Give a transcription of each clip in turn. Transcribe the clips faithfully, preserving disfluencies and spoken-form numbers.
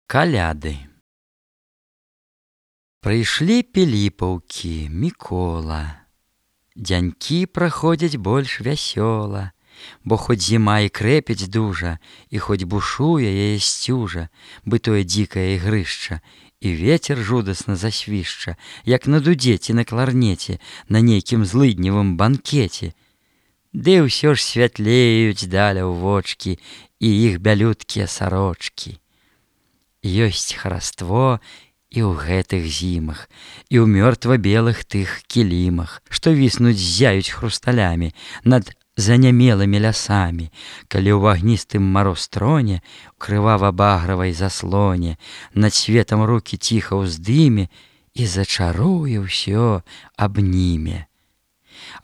Каляды. Прыйшлі піліпаўкі, Мікола. Дзянькі праходзяць больш вясёла, бо хоць зіма і крэпіць дужа, і хоць бушуе яе сцюжа, бытое дзікае ігрышча, і вецер жудасна засвішча, як на дудзе ці на кларнеце, на нейкім злыдневым банкеце. Ды ўсё ж святлеюць даля ў вочкі і іх бялюткія сарочкі. Ёсць хараство і ў гэтых зімах, і ў мёртва-белых тых кілімах, што віснуць ззяюць хрусталямі над занямелымі лясамі, калі ў агністым маростроне, у крывава-багравай заслоне, над светам рукі ціха ўздыме і зачаруе ўсё абніме.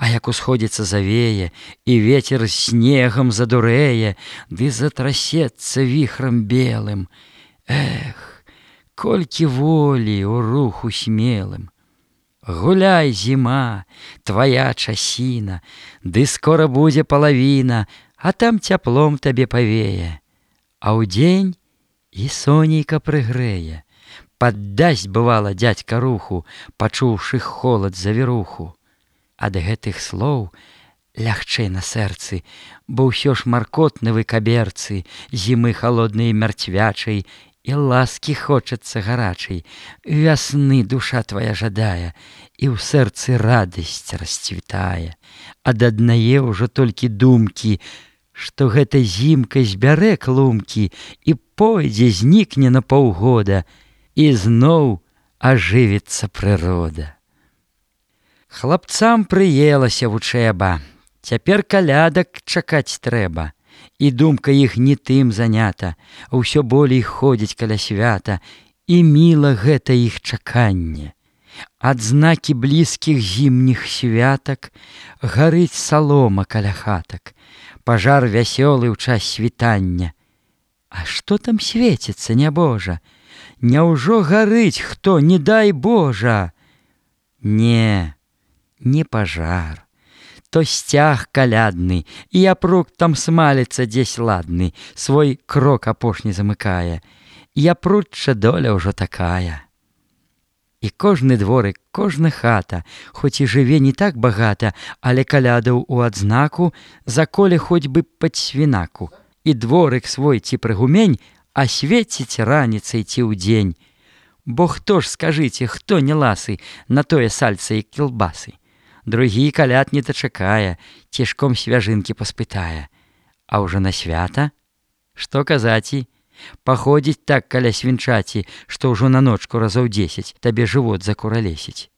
А як усходзіцца завее, і вецер снегам задурэе, ды затрасецца віхрам белым, эх, колькі волі ў руху смелым. Гуляй, зіма, твая часіна, ды скора будзе палавіна, а там цяплом табе павее. А ўдзень і сонейка прыгрэе, паддасць, бывала, дзядзька руху, пачуўшы холад завіруху. Ад гэтых слоў лягчэй на сэрцы, бо ўсё ж маркотны вы каберцы, зімы халоднай мярцвячай, і ласкі хочацца гарачай, вясны душа твая жадае, і ў сэрцы радасць расцвітае. Ад аднае ўжо толькі думкі, што гэта зімка збярэ клумкі і пойдзе, знікне на паўгода, і зноў ажывіцца прырода. Хлапцам прыелася вучэба, цяпер калядак чакаць трэба. І думка іх не тым занята, ўсё болей ходзіць каля свята, і міла гэта іх чаканне. Адзнакі блізкіх зімніх святак гарыць салома каля хатак, пажар вясёлы ў час світання. А што там свеціцца, нябожа? Няўжо гарыць хто, не дай Божа? Не, не пажар. То сцяг калядны, і япрук там смаліцца дзесь ладны, свой крок апошні замыкае. Япручча доля ўжо такая. І кожны дворык, кожна хата, хоць і жыве не так багата, але калядаў у адзнаку, заколе хоць бы пад свінаку. І дворык свой ці прыгумень асвеціць раніцай ці ўдзень. Бо хто ж, скажыце, хто не ласы на тое сальца і кілбасы? Другі каляд не дачакае, цішком свяжынкі паспытае. А ўжо на свята? Што казаці? Паходзіць так каля свінчаці, што ўжо на ночку разоў дзесяць табе жывот закуралесіць.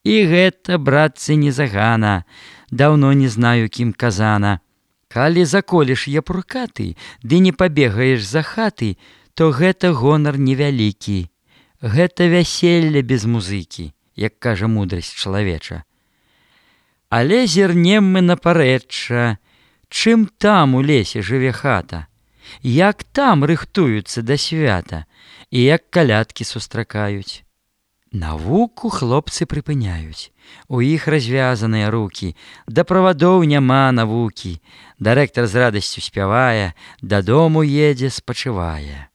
І гэта, братцы, не загана, даўно не знаю, кім казана. Калі заколеш япрука ты, ды не пабегаеш за хаты, то гэта гонар невялікі. Гэта вяселле без музыкі, як кажа мудрасць чалавеча. Але зірнем мы на парэчча, чым там у лесе жыве хата, як там рыхтуюцца да свята, і як калядкі сустракаюць. Навуку хлопцы прыпыняюць, у іх развязаныя рукі, да правадоў няма навукі, дырэктар з радасцю спявае, дадому едзе, спачывае.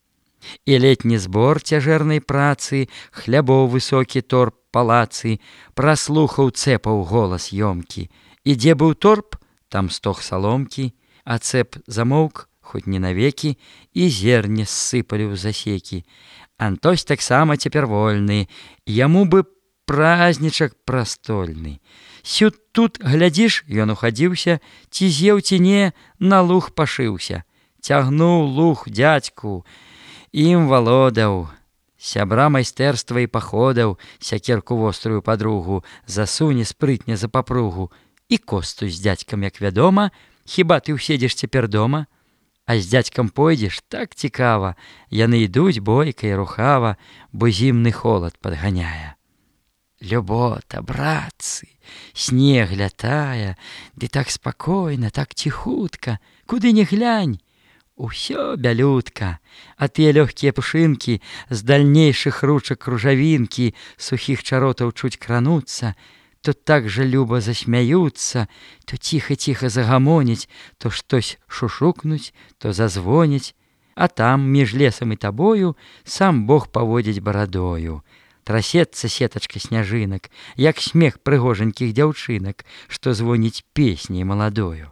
І летні збор цяжэрнай працы, хлябоў высокі торп палацы, праслухаў цэпаў голас ёмкі. І дзе быў торп, там стог саломкі, а цэп замоўк, хоць не навекі, і зерне ссыпалі ў засекі. Антось таксама цяпер вольны, яму бы празнічак прастольны. Сюд тут, глядзіш, ён ухадзіўся, ці з'еў ці не, на луг пашыўся. Цягнуў луг дзядзьку, ім валодаў. Сябра майстэрства і паходаў, сякерку вострую падругу, засуне спрытне за папругу. І косту з дзядзькам, як вядома, хіба ты ўседзеш цяпер дома? А з дзядзькам пойдзеш, так цікава, яны ідуць бойка і рухава, бо зімны холад падганяе. Любота, братцы, снег лятае, ды так спакойна, так ціхутка, куды не глянь. Усё бялютка, а тыя лёгкія пушынкі з дальнейшых ручак кружавінкі сухіх чаротаў чуць крануцца, то так жа люба засмяюцца, то ціха-ціха загамоняць, то штось шушукнуць, то зазвоняць. А там, між лесам і табою, сам Бог паводзіць барадою. Трасецца сетачка сняжынак, як смех прыгожанькіх дзяўчынак, што звоніць песняй маладою.